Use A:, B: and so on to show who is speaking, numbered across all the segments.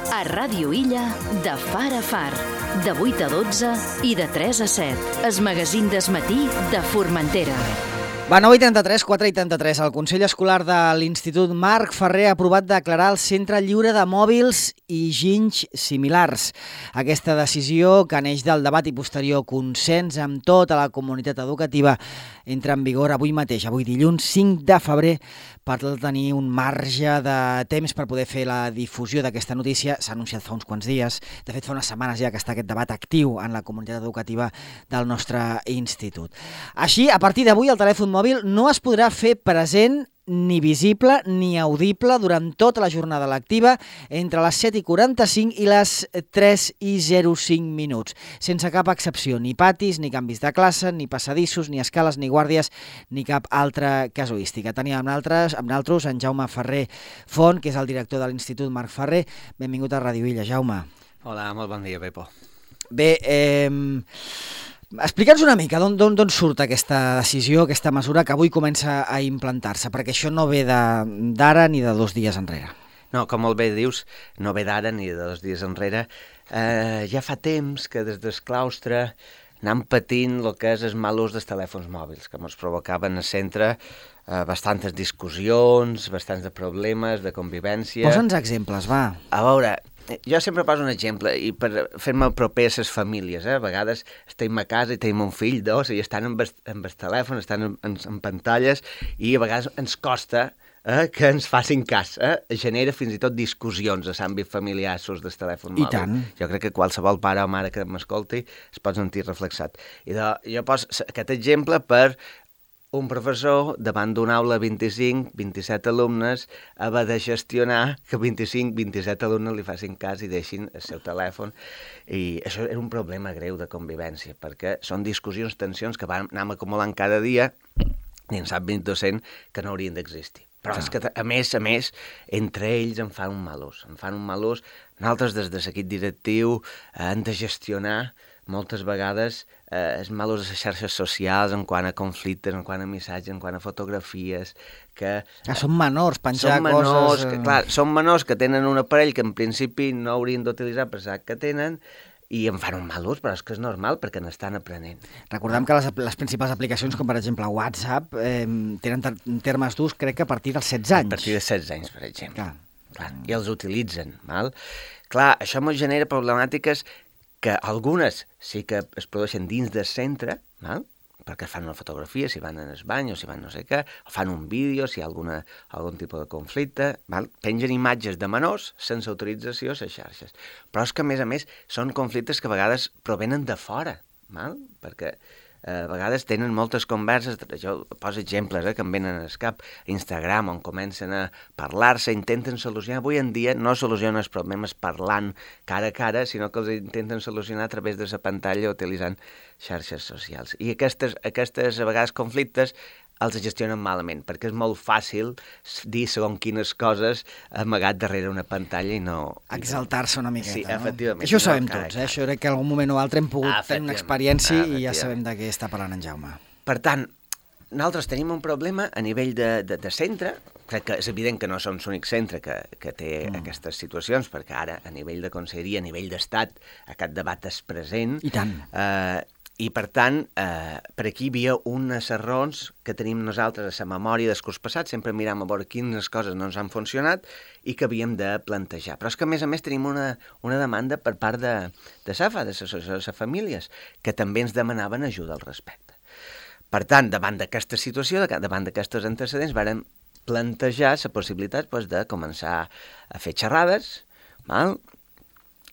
A: A Ràdio Illa, de far a far, de 8 a 12 i de 3 a 7. El magazín d'Es Matí de Formentera.
B: Va, 9:33, 4:83. El Consell Escolar de l'Institut Marc Ferrer ha aprovat declarar el centre lliure de mòbils i ginys similars. Aquesta decisió, que neix del debat i posterior consens amb tota la comunitat educativa, entra en vigor avui mateix, avui dilluns 5 de febrer, per tenir un marge de temps per poder fer la difusió d'aquesta notícia. S'ha anunciat fa uns quants dies. De fet, fa unes setmanes ja que està aquest debat actiu en la comunitat educativa del nostre institut. Així, a partir d'avui, el telèfon mòbil no es podrà fer present ni visible ni audible durant tota la jornada lectiva entre les 7:45 i les 3:05, sense cap excepció, ni patis, ni canvis de classe, ni passadissos, ni escales, ni guàrdies, ni cap altra casuística. Tenim amb nosaltres en Jaume Ferrer Font, que és el director de l'Institut Marc Ferrer. Benvingut a Ràdio Illa, Jaume.
C: Hola, molt bon dia, Pepo.
B: Bé, explica'ns una mica d'on surt aquesta decisió, aquesta mesura que avui comença a implantar-se, perquè això no ve d'ara ni de 2 dies enrere.
C: No, com molt bé dius, no ve d'ara ni de 2 dies enrere. Ja fa temps que des del claustre anem patint el que és el mal ús dels telèfons mòbils, que ens provocaven al centre bastantes discussions, bastants de problemes, de convivència.
B: Posa'ns exemples, va.
C: A veure, jo sempre poso un exemple, i per fer-me proper a les famílies, a vegades estem a casa i tenim un fill, dos, i estan amb el telèfon, estan en pantalles, i a vegades ens costa que ens facin cas. Genera fins i tot discussions a l'àmbit familiar sus del telèfon mòbil.
B: I tant.
C: Jo crec que qualsevol pare o mare que m'escolti es pot sentir reflexat. I jo poso aquest exemple per un professor davant d'una aula 25-27 alumnes haver de gestionar que 25-27 alumnes li facin cas i deixin el seu telèfon. I això era un problema greu de convivència, perquè són discussions, tensions que van anar acumulant cada dia dins l'àmbit docent que no haurien d'existir. Però és que, a més, entre ells en fan un mal ús. Nosaltres, des de l'equip directiu, hem de gestionar moltes vegades el mal ús de les xarxes socials en quant a conflictes, en quant a missatges, en quant a fotografies, que...
B: Són menors, penjar coses...
C: Són menors que tenen un aparell que en principi no haurien d'utilitzar per saber que tenen, i en fan un mal ús, però és que és normal perquè n'estan aprenent.
B: Recordem que les principals aplicacions, com per exemple WhatsApp, tenen termes d'ús, crec que a partir dels 16 anys.
C: A partir de 16 anys, per exemple.
B: Clar.
C: I els utilitzen. Clar, això ens genera problemàtiques que algunes sí que es produeixen dins del centre, perquè fan una fotografia, si van en el bany o si van no sé què, o fan un vídeo si hi ha algun tipus de conflicte, pengen imatges de menors sense autorització a les xarxes. Però és que, a més, són conflictes que a vegades provenen de fora, perquè a vegades tenen moltes converses, jo poso exemples que em venen al cap, Instagram, on comencen a parlar-se, intenten solucionar. Avui en dia no solucionen els problemes parlant cara a cara, sinó que els intenten solucionar a través de la pantalla utilitzant xarxes socials. I aquestes a vegades conflictes els gestionen malament, perquè és molt fàcil dir segons quines coses amagat darrere una pantalla i no...
B: Exaltar-se una miqueta,
C: sí,
B: no?
C: Efectivament.
B: Això ho sabem tots, Això crec que en algun moment o altre hem pogut tenir una experiència i ja sabem de què està parlant en Jaume.
C: Per tant, nosaltres tenim un problema a nivell de centre. Crec que és evident que no som l'únic centre que té aquestes situacions, perquè ara, a nivell de conselleria, a nivell d'estat, aquest debat és present.
B: I tant.
C: I, per tant, per aquí hi havia unes errors que tenim nosaltres a la memòria del curs passat, sempre mirem a veure quines coses no ens han funcionat i que havíem de plantejar. Però és que, a més, tenim una demanda per part de SAFA, de les famílies, que també ens demanaven ajuda al respecte. Per tant, davant d'aquesta situació, davant d'aquestos antecedents, vàrem plantejar la possibilitat de començar a fer xerrades,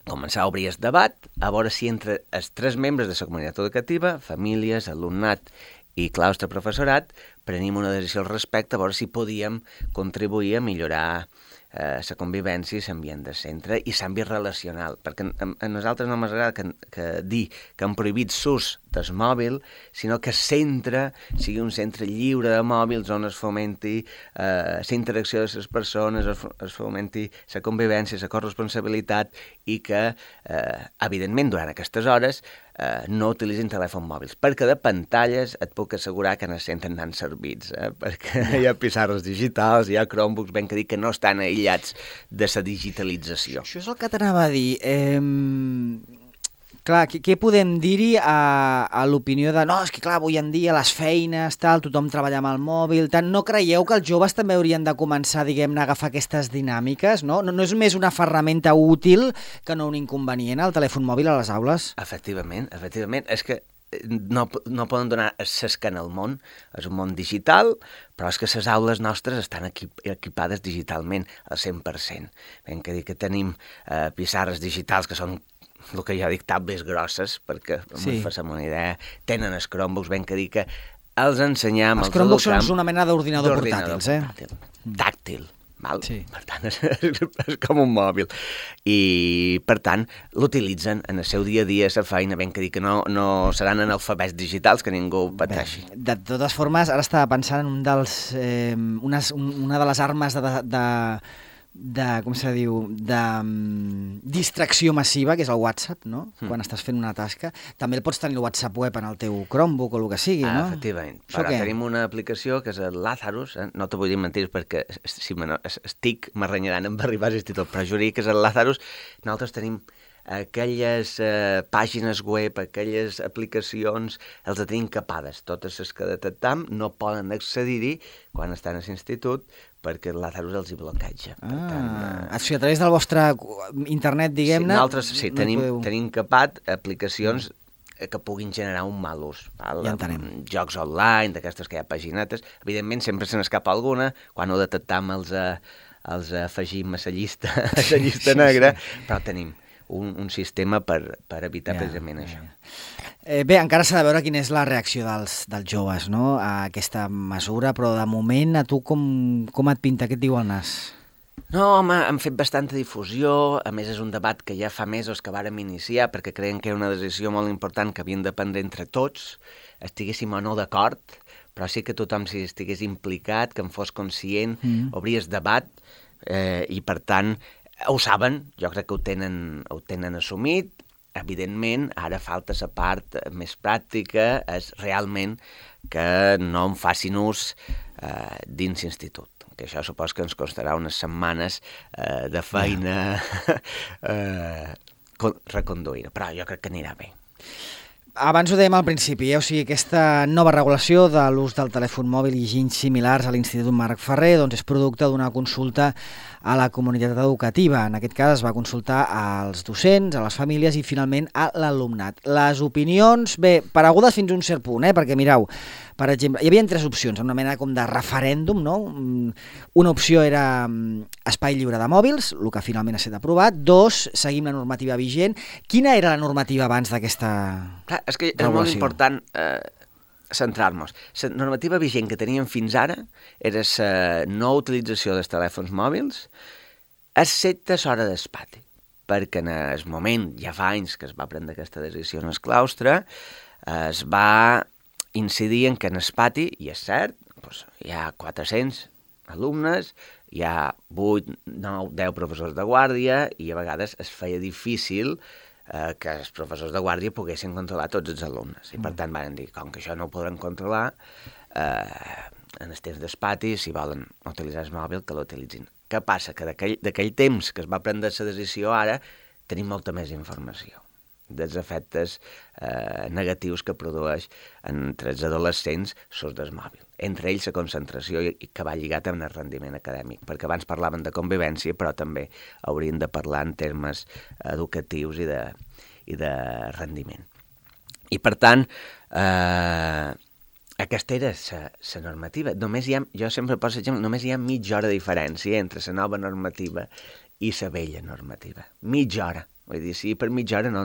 C: començar a obrir el debat, a veure si entre els 3 membres de la comunitat educativa, famílies, alumnat i claustre professorat, prenim una decisió al respecte, a veure si podíem contribuir a millorar la convivència i l'ambient del centre i l'àmbit relacional, perquè a nosaltres no m'agrada que dir que han prohibit l'ús del mòbil, sinó que el centre sigui un centre lliure de mòbils on es fomenti la interacció de les persones, es fomenti la convivència, la corresponsabilitat i que, evidentment, durant aquestes hores no utilitzin telèfons mòbils, perquè de pantalles et puc assegurar que no es senten tan servits, perquè hi ha pissarres digitals, hi ha Chromebooks, ben que dir que no estan aïllats de la digitalització.
B: Això és el que t'anava a dir. Clar, què podem dir-hi a l'opinió de no, és que clar, avui en dia les feines, tal, tothom treballa amb el mòbil, tant, no creieu que els joves també haurien de començar, diguem-ne, a agafar aquestes dinàmiques, no? No és més una ferramenta útil que no un inconvenient, el telèfon mòbil a les aules?
C: Efectivament. És que no poden donar s'escan al món, és un món digital, però és que les aules nostres estan equipades digitalment al 100%. Ben que dir que tenim pissarres digitals que són el que jo dic, tablets grosses, perquè, sí, fem una idea, tenen els Chromebooks, ben que dir que els ensenyam...
B: Els Chromebooks són una mena d'ordinador portàtils,
C: Tàctil, val?
B: Sí.
C: Per tant, és com un mòbil. I, per tant, l'utilitzen en el seu dia a dia, la feina, ben que dir que no seran analfabets digitals, que ningú pateixi.
B: De totes formes, ara estava pensant en una de les armes com se diu, de distracció massiva, que és el WhatsApp, no? Quan estàs fent una tasca. També el pots tenir el WhatsApp web en el teu Chromebook o el que sigui, no?
C: Efectivament. Però tenim una aplicació que és el Lazarus, no te vull dir mentirs perquè si estic m'arranyaran en arribar a l'institut, però jurí que és el Lazarus. Nosaltres tenim aquelles pàgines web, aquelles aplicacions, els tenim capades. Totes les que detectam no poden accedir-hi quan estan a l'institut perquè el Lazarus els hi bloqueja.
B: A través del vostre internet, diguem-ne...
C: Sí, nosaltres tenim capat aplicacions que puguin generar un mal ús.
B: Ja entenem.
C: Jocs online, d'aquestes que hi ha paginetes. Evidentment, sempre se n'escapa alguna. Quan ho detectam els afegim a la llista negra, però tenim un sistema per evitar precisament això.
B: Bé, encara s'ha de veure quina és la reacció dels joves, no?, a aquesta mesura, però de moment a tu com et pinta? Què et diu el nas?
C: No, home, han fet bastanta difusió, a més és un debat que ja fa mesos que vàrem iniciar perquè creiem que era una decisió molt important que havien de prendre entre tots, estiguéssim o no d'acord, però sí que tothom si estigués implicat, que en fos conscient, obries debat i per tant ho saben, jo crec que ho tenen assumit. Evidentment, ara falta la part més pràctica, és realment que no en facin ús dins l'institut, que això supos que ens costarà unes setmanes de feina reconduir, però jo crec que anirà bé.
B: Abans ho dèiem al principi, o sigui, aquesta nova regulació de l'ús del telèfon mòbil i ginys similars a l'Institut Marc Ferrer doncs és producte d'una consulta a la comunitat educativa. En aquest cas es va consultar als docents, a les famílies i finalment a l'alumnat. Les opinions, bé, paregudes fins a un cert punt, perquè mireu, per exemple, hi havia 3 opcions, una mena com de referèndum, no? Una opció era espai lliure de mòbils, el que finalment ha estat aprovat. 2, seguim la normativa vigent. Quina era la normativa abans d'aquesta regulació?
C: Clar, és que és molt important centrar-nos. La normativa vigent que teníem fins ara era la no utilització dels telèfons mòbils excepte l'hora d'espati, perquè en el moment, ja fa anys que es va prendre aquesta decisió en el claustre, es va incidir en que en el pati, i és cert, doncs, hi ha 400 alumnes, hi ha 8, 9, 10 professors de guàrdia i a vegades es feia difícil que els professors de guàrdia poguessin controlar tots els alumnes. I per tant van dir, com que això no ho podran controlar, en els temps d'espati, si volen utilitzar el mòbil, que l'utilitzin. Què passa? Que d'aquell temps que es va prendre la decisió ara, tenim molta més informació dels efectes negatius que produeix entre els adolescents l'ús del mòbil. Entre ells la concentració i que va lligat amb el rendiment acadèmic, perquè abans parlaven de convivència, però també haurien de parlar en termes educatius i de rendiment. I per tant, aquesta era la normativa. Jo sempre poso exemple, només hi ha mitja hora de diferència entre la nova normativa i la vella normativa. Mitja hora. Vull dir, sí, per mitja hora no...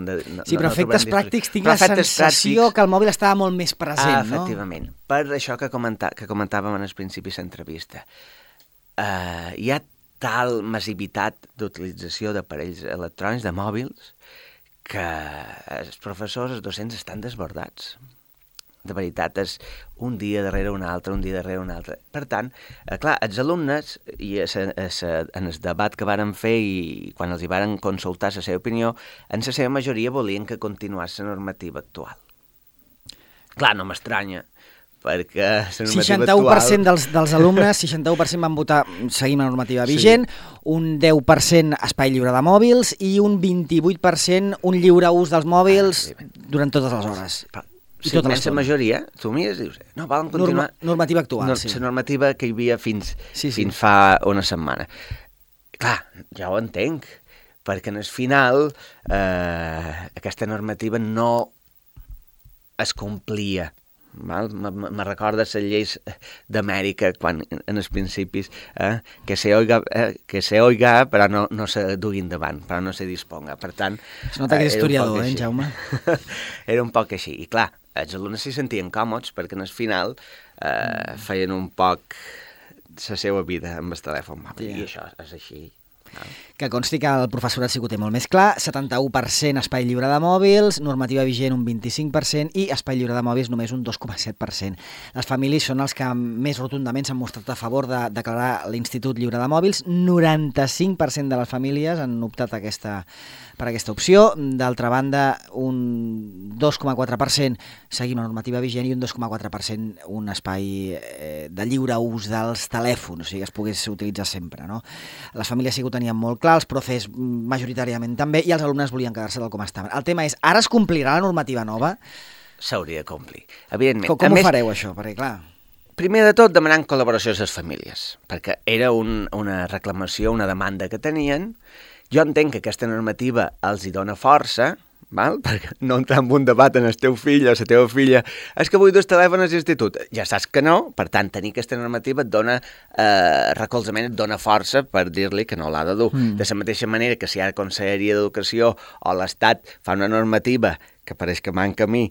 B: Sí, però efectes pràctics tinc la sensació que el mòbil estava molt més present, no?
C: Efectivament. Per això que comentàvem en el principi de l'entrevista. Hi ha tal massivitat d'utilització d'aparells electrònics, de mòbils, que els professors, els docents estan desbordats. De veritat, és un dia darrere un altre, un dia darrere un altre. Per tant, clar, els alumnes, i en el debat que varen fer i quan els hi varen consultar la seva opinió, en la seva majoria volien que continués la normativa actual. Clar, no m'estranya, perquè la normativa
B: 61% dels alumnes, 61% van votar seguim la normativa vigent, un 10% espai lliure de mòbils i un 28% un lliure ús dels mòbils durant totes les hores.
C: Si més la majoria, tu mires i dius, no, volen continuar...
B: Normativa actual, sí.
C: La normativa que hi havia fins fa una setmana. Clar, ja ho entenc, perquè en el final aquesta normativa no es complia. Me recorda les lleis d'Amèrica quan en els principis que se oiga però no se dugui endavant, però no se disponga. Per tant,
B: es nota que és historiador, Jaume?
C: Era un poc així. I clar, els alumnes s'hi sentien còmodes perquè en el final feien un poc la seva vida amb el telèfon mòbil. I això és així.
B: Que consti que el professorat sí que ho té molt més clar, 71% espai lliure de mòbils, normativa vigent un 25% i espai lliure de mòbils només un 2,7%. Les famílies són els que més rotundament s'han mostrat a favor de declarar l'Institut Lliure de Mòbils. 95% de les famílies han optat per aquesta opció. D'altra banda, un 2,4% seguim la normativa vigent i un 2,4% un espai de lliure ús dels telèfons, o sigui que es pogués utilitzar sempre, no? Les famílies sí que ho tenien molt clar, els profes majoritàriament també, i els alumnes volien quedar-se tal com estaven. El tema és, ara es complirà la normativa nova?
C: S'hauria de complir, evidentment.
B: Com ho fareu, això? Perquè, clar...
C: Primer de tot, demanant col·laboració a les famílies, perquè era una reclamació, una demanda que tenien. Jo entenc que aquesta normativa els hi dona força, perquè no entrar en un debat en el teu fill o la teva filla, és que vull dos telèfons a l'institut. Ja saps que no, per tant, tenir aquesta normativa et dona recolzament, et dona força per dir-li que no l'ha de dur. De la mateixa manera que si ara Conselleria d'Educació o l'Estat fa una normativa que pareix que manca a mi,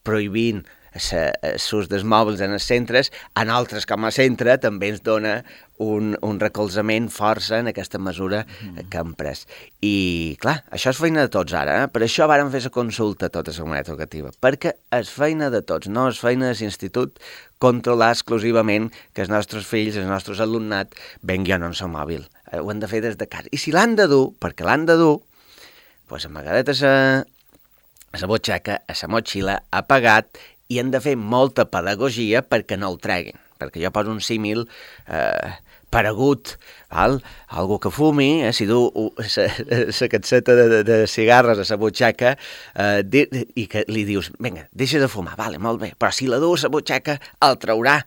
C: prohibint l'ús dels mòbils en els centres, a nosaltres com a centre també ens dona un recolzament força en aquesta mesura que hem pres. I, clar, això és feina de tots ara, Per això vàrem fer la consulta a tota la comunitat educativa, perquè és feina de tots, no és feina de l'institut controlar exclusivament que els nostres fills, el nostre alumnat, vengui en el mòbil. Ho han de fer des de casa. I si l'han de dur, perquè l'han de dur, doncs amagadet a la butxaca, a la motxilla, apagat, i han de fer molta pedagogia perquè no el treguin. Perquè jo poso un símil paregut, algú que fumi, si du la capseta de cigarres a la butxaca i que li dius, vinga, deixa de fumar, vale, molt bé, però si la du a la butxaca el traurà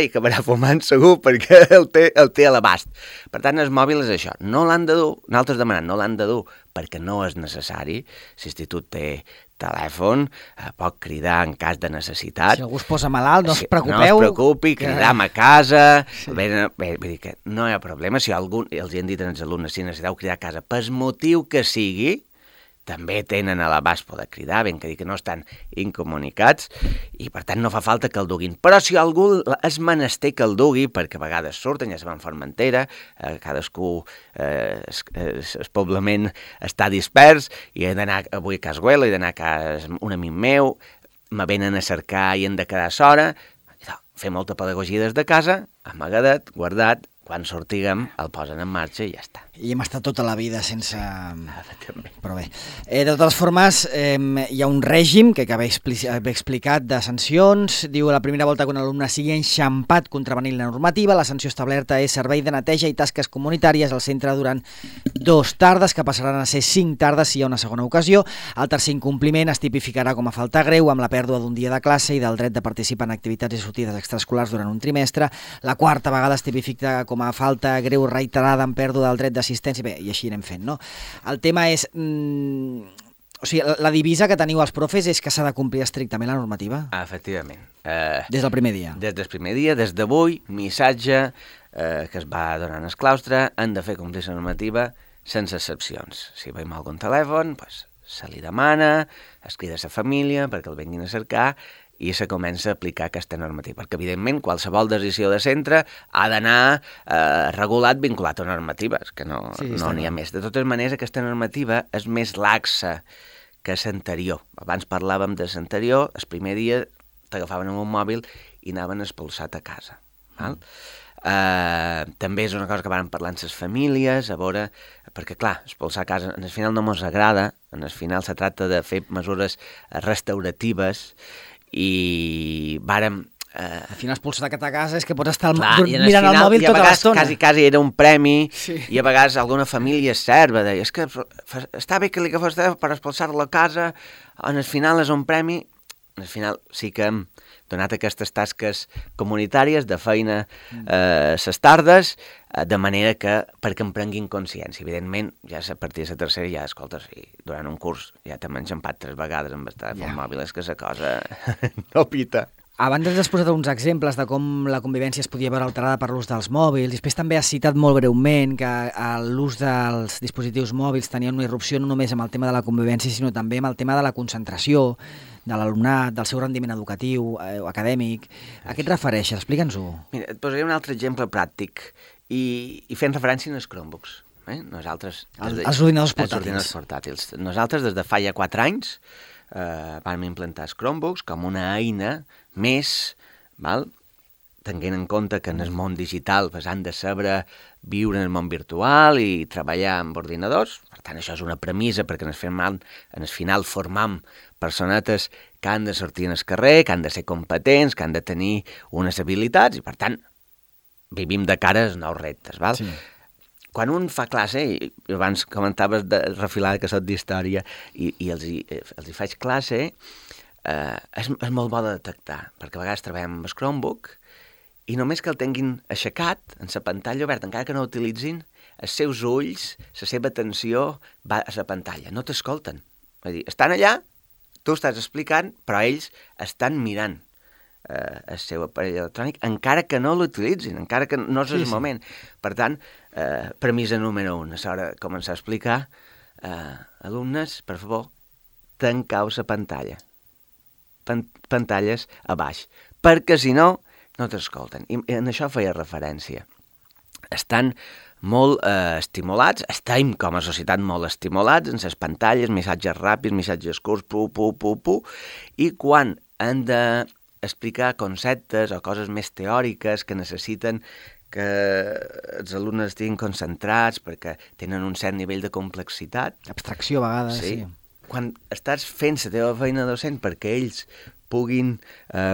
C: i acabarà fumant segur perquè el té a l'abast. Per tant, el mòbil és això, no l'han de dur, nosaltres demanem, no l'han de dur perquè no és necessari, l'institut té telèfon, pot cridar en cas de necessitat.
B: Si algú es posa malalt, no us preocupeu.
C: No es preocupi, cridam a casa. Bé, vull dir que no hi ha problema. Si algú, els hi han dit als alumnes, si necessiteu cridar a casa, per motiu que sigui, també tenen a l'abast poder cridar, ben que dir que no estan incomunicats i per tant no fa falta que el duguin. Però si algú és menester que el dugui, perquè a vegades surten, ja se van a Formentera, cadascú, el poblament està dispers, i he d'anar avui a Casguela, he d'anar a un amic meu, me venen a cercar i hem de quedar a s'hora, fer molta pedagogia des de casa, amagadet, guardat, quan sortiguem el posen en marxa i ja està.
B: I hem estat tota la vida sense... Però bé. De totes formes, hi ha un règim que haver explicat de sancions. Diu la primera volta que un alumne sigui enxampat contravenint la normativa, la sanció establerta és servei de neteja i tasques comunitàries al centre durant 2 tardes, que passaran a ser 5 tardes si hi ha una segona ocasió. El tercer incompliment es tipificarà com a falta greu amb la pèrdua d'un dia de classe i del dret de participar en activitats i sortides extraescolars durant un trimestre. La quarta vegada es tipifica com a falta greu reiterada amb pèrdua del dret d'assistència, bé, i així anem fent, no? El tema és... o sigui, la divisa que teniu els profes és que s'ha de complir estrictament la normativa?
C: Efectivament.
B: Des del primer dia?
C: Des del primer dia, des d'avui, missatge que es va donant al claustre, han de fer complir la normativa sense excepcions. Si veiem algun telèfon, doncs se li demana, es crida a la família perquè el venguin a cercar i se comença a aplicar aquesta normativa. Perquè, evidentment, qualsevol decisió de centre ha d'anar regulat, vinculat a normatives, que no n'hi ha més. De totes maneres, aquesta normativa és més laxa que l'anterior. Abans parlàvem de l'anterior, el primer dia t'agafaven amb un mòbil i anaven expulsat a casa. Val? També és una cosa que van parlar amb les famílies, a veure, perquè clar, expulsar a casa, en el final no ens agrada, en el final se tracta de fer mesures restauratives i vàrem...
B: Al final expulsar a casa és que pots estar mirant el mòbil tota l'estona.
C: Quasi era un premi, i a vegades alguna família serva, deia, és que està bé que li agafés per expulsar-lo a casa, en el final és un premi. Al final sí que hem donat aquestes tasques comunitàries de feina ses tardes, de manera que perquè en prenguin consciència. Evidentment, ja a partir de la tercera ja, escolta, si durant un curs ja t'hem enxampat 3 vegades amb el telèfon mòbil, és que la cosa no pita.
B: Abans ens has posat uns exemples de com la convivència es podia veure alterada per l'ús dels mòbils. Després també has citat molt breument que l'ús dels dispositius mòbils tenia una irrupció no només amb el tema de la convivència, sinó també amb el tema de la concentració de l'alumnat, del seu rendiment educatiu o acadèmic. A què et refereixes? Explica'ns-ho.
C: Mira, et posaré un altre exemple pràctic i fent referència als Chromebooks. Nosaltres...
B: Els ordinadors
C: portàtils. Nosaltres, des de fa ja 4 anys, vam implantar els Chromebooks com una eina més, tenint en compte que en el món digital han de saber viure en el món virtual i treballar amb ordinadors. Per tant, això és una premissa perquè en el final formam personetes que han de sortir en el carrer, que han de ser competents, que han de tenir unes habilitats i, per tant, vivim de cara als nous reptes. Sí. Quan un fa classe, i abans comentaves de refilada que soc d'història, i els hi faig classe, és molt bo de detectar, perquè a vegades treballem amb el Chromebook i només que el tinguin aixecat en la pantalla oberta, encara que no l'utilitzin, els seus ulls, la seva atenció va a la pantalla, no t'escolten. Vull dir, estan allà, tu estàs explicant, però ells estan mirant el seu aparell electrònic, encara que no l'utilitzin, encara que no és el moment. Per tant, premissa número 1, és hora de començar a explicar, alumnes, per favor, tancau la pantalla. Pantalles a baix, perquè si no, no t'escolten. I en això feia referència. Estan molt estimulats, estem com a societat molt estimulats en les pantalles, missatges ràpids, missatges curts, i quan han d'explicar conceptes o coses més teòriques que necessiten que els alumnes estiguin concentrats perquè tenen un cert nivell de complexitat.
B: Abstracció a vegades, sí.
C: Quan estàs fent la teva feina docent perquè ells puguin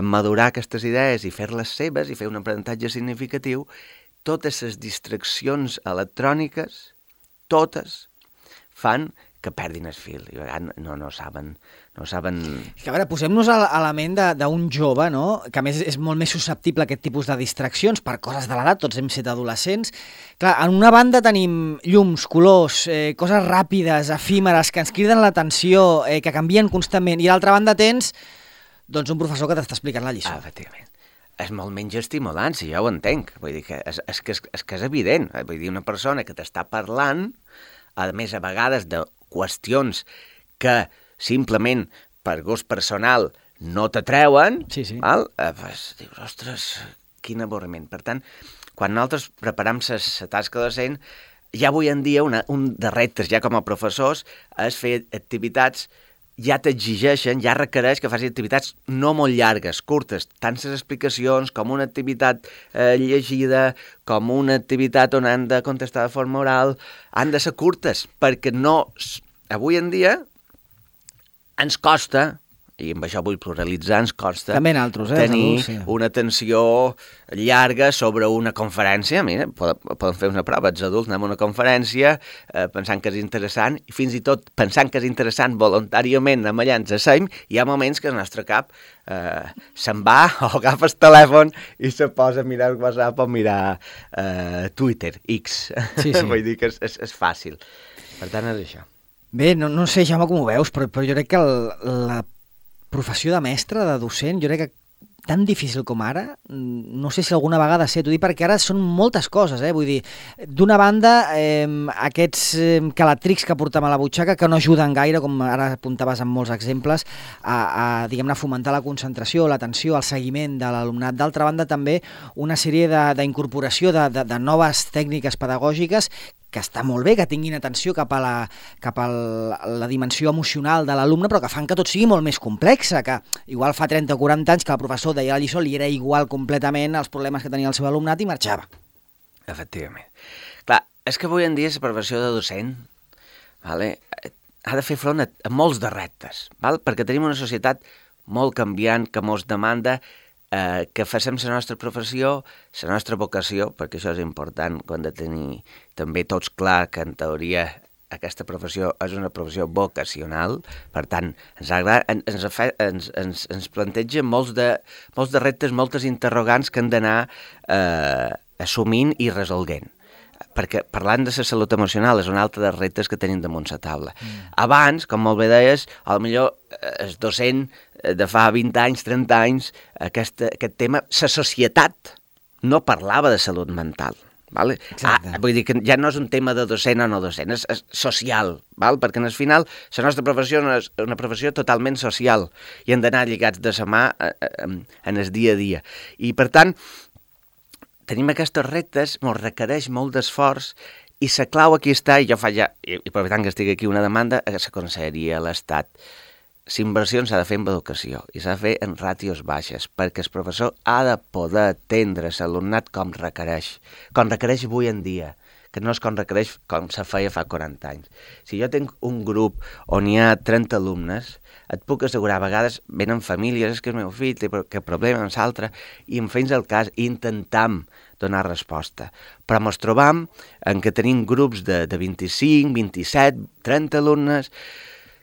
C: madurar aquestes idees i fer-les seves i fer un aprenentatge significatiu, totes les distraccions electròniques, totes, fan que perdin el fil i a vegades no saben...
B: Que a veure, posem-nos a la ment d'un jove, no?, que a més és molt més susceptible a aquest tipus de distraccions per coses de l'edat, tots hem estat adolescents. Clar, en una banda tenim llums, colors, coses ràpides, efímeres, que ens criden l'atenció, que canvien constantment, i a l'altra banda tens doncs un professor que t'està explicant la lliçó.
C: Efectivament. És molt menys estimulant, si ja ho entenc. Vull dir que és que és evident. Vull dir, una persona que t'està parlant, a més, a vegades, de qüestions que simplement per gust personal no t'atreuen, pues, dius, ostres, quin avorriment. Per tant, quan nosaltres preparam la tasca docent, ja avui en dia un dels reptes, ja com a professors, és fer activitats, ja t'exigeixen, ja requereix que facis activitats no molt llargues, curtes, tant les explicacions com una activitat llegida, com una activitat on han de contestar de forma oral, han de ser curtes, perquè no... Avui en dia ens costa, i amb això vull pluralitzar, ens costa tenir una atenció llarga sobre una conferència. Mira, poden fer una prova, els adults anem a una conferència pensant que és interessant, i fins i tot pensant que és interessant voluntàriament anem allà, ens asseiem, i hi ha moments que el nostre cap se'n va o agafa el telèfon i se posa a mirar WhatsApp o mirar Twitter, X. Vull dir que és fàcil. Per tant, és això.
B: Bé, no sé, Jaume, com ho veus, però jo crec que la professió de mestre, de docent, jo crec que tan difícil com ara? No sé si alguna vegada t'ho dic perquè ara són moltes coses, vull dir, d'una banda, aquests calatrics que portem a la butxaca que no ajuden gaire, com ara apuntaves en molts exemples, a diguem-ne, fomentar la concentració, l'atenció, el seguiment de l'alumnat. D'altra banda, també una sèrie d'incorporació de noves tècniques pedagògiques que està molt bé, que tinguin atenció cap a la dimensió emocional de l'alumne, però que fan que tot sigui molt més complex, que igual fa 30 o 40 anys que el professor deia la lliçó, li era igual completament els problemes que tenia el seu alumnat i marxava.
C: Efectivament. Clar, és que avui en dia la professió de docent ha de fer front a molts de reptes, perquè tenim una societat molt canviant, que mos demanda que facem la nostra professió, la nostra vocació, perquè això és important, que hem de tenir també tots clar que en teoria aquesta professió és una professió vocacional, per tant, ens planteja molts de reptes, moltes interrogants que hem d'anar assumint i resolguent. Perquè parlant de la salut emocional és un altre dels reptes que tenim damunt la taula. Abans, com molt bé deies, potser el docent de fa 20 anys, 30 anys, aquest tema, la societat no parlava de salut mental. Vull dir que ja no és un tema de docent o no docent, és social, perquè al final la nostra professió és una professió totalment social i hem d'anar lligats de la mà en el dia a dia. I per tant, tenim aquests reptes, ens requereix molt d'esforç i la clau aquí està, i jo faig ja, i aprofitant que estic aquí, una demanda a la Conselleria, a l'Estat. La inversió s'ha de fer en educació i s'ha de fer en ràtios baixes, perquè el professor ha de poder atendre l'alumnat com requereix avui en dia, que no és com requereix com se feia fa 40 anys. Si jo tinc un grup on hi ha 30 alumnes, et puc assegurar, a vegades venen famílies, és que el meu fill té que problema amb l'altre, i en fins al cas intentam donar resposta. Però ens trobam en què tenim grups de 25, 27, 30 alumnes,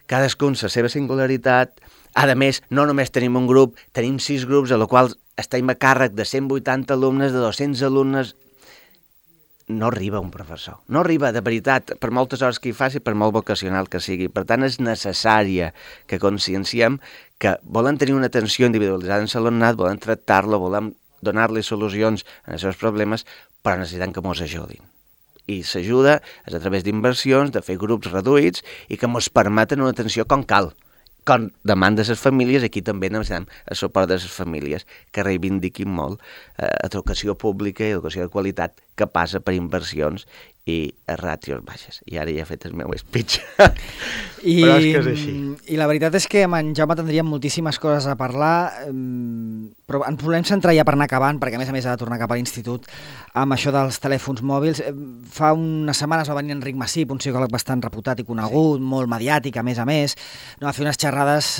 C: cadascun la seva singularitat. A més, no només tenim un grup, tenim 6 grups, a la qual estem a càrrec de 180 alumnes, de 200 alumnes. No arriba un professor. No arriba, de veritat, per moltes hores que hi faci, per molt vocacional que sigui. Per tant, és necessària que conscienciem que volen tenir una atenció individualitzada en l'alumnat, volen tractar-lo, volen donar-li solucions als seus problemes, però necessitem que ens ajudin. I s'ajuda és a través d'inversions, de fer grups reduïts i que ens permeten una atenció com cal. Com demanda les famílies, aquí també necessitem el suport de les famílies que reivindiquin molt educació pública i educació de qualitat que passa per inversions i ràtios baixes. I ara ja he fet el meu speech. Però és que és així.
B: I la veritat és que amb en Jaume tindríem moltíssimes coses a parlar, però ens volem centrar ja per anar acabant, perquè a més ha de tornar cap a l'institut amb això dels telèfons mòbils. Fa unes setmanes va venir Enric Massip, un psicòleg bastant reputat i conegut, molt mediàtic, a més, no, a fer unes xerrades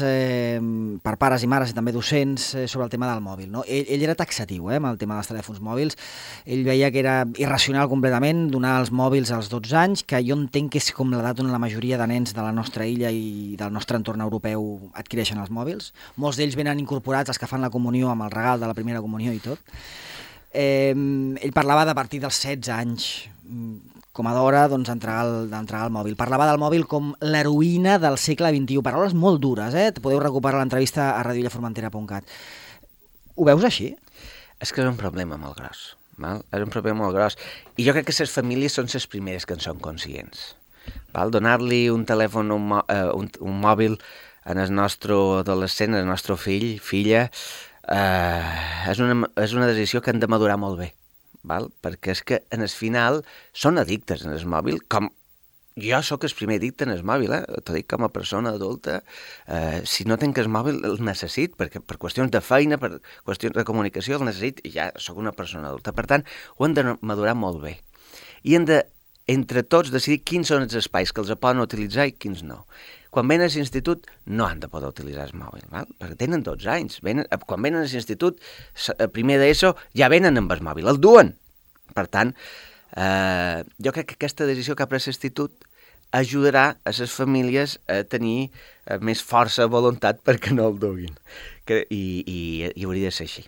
B: per pares i mares i també docents sobre el tema del mòbil. No? Ell era taxatiu amb el tema dels telèfons mòbils. Ell veia que era irracional completament donar els mòbils als 12 anys, que jo entenc que és com l'edat on la majoria de nens de la nostra illa i del nostre entorn europeu adquireixen els mòbils. Molts d'ells venen incorporats, els que fan la comunió amb el regal de la primera comunió i tot. Ell parlava de a partir dels 16 anys com a d'hora d'entregar el mòbil. Parlava del mòbil com l'heroïna del segle XXI. Paraules molt dures, podeu recuperar l'entrevista a radioillaformentera.cat. Ho veus així?
C: És que és un problema molt gros. És un problema molt gros. I jo crec que les famílies són les primeres que en són conscients. Donar-li un telèfon, un mòbil en el nostre adolescent, en el nostre fill, filla, és una decisió que hem de madurar molt bé. Perquè és que en el final són addictes en el mòbil, com jo sóc el primer addicte en el mòbil, t'ho dic com a persona adulta. Si no tinc el mòbil el necessit, perquè per qüestions de feina, per qüestions de comunicació el necessit i ja sóc una persona adulta. Per tant, ho hem de madurar molt bé. I hem de, entre tots, decidir quins són els espais que els poden utilitzar i quins no. Quan venen a l'institut no han de poder utilitzar el mòbil, perquè tenen 12 anys. Quan venen a l'institut, primer d'ESO, ja venen amb el mòbil, el duen. Per tant, jo crec que aquesta decisió que ha pres l'institut ajudarà a les famílies a tenir més força de voluntat perquè no el duguin. I hauria de ser així.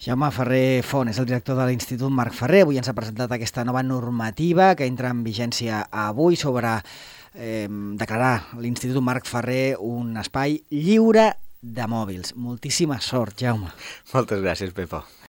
B: Jaume Ferrer Font és el director de l'Institut Marc Ferrer. Avui ens ha presentat aquesta nova normativa que entra en vigència avui sobre declarar l'Institut Marc Ferrer un espai lliure de mòbils. Moltíssima sort, Jaume.
C: Moltes gràcies, Pepo.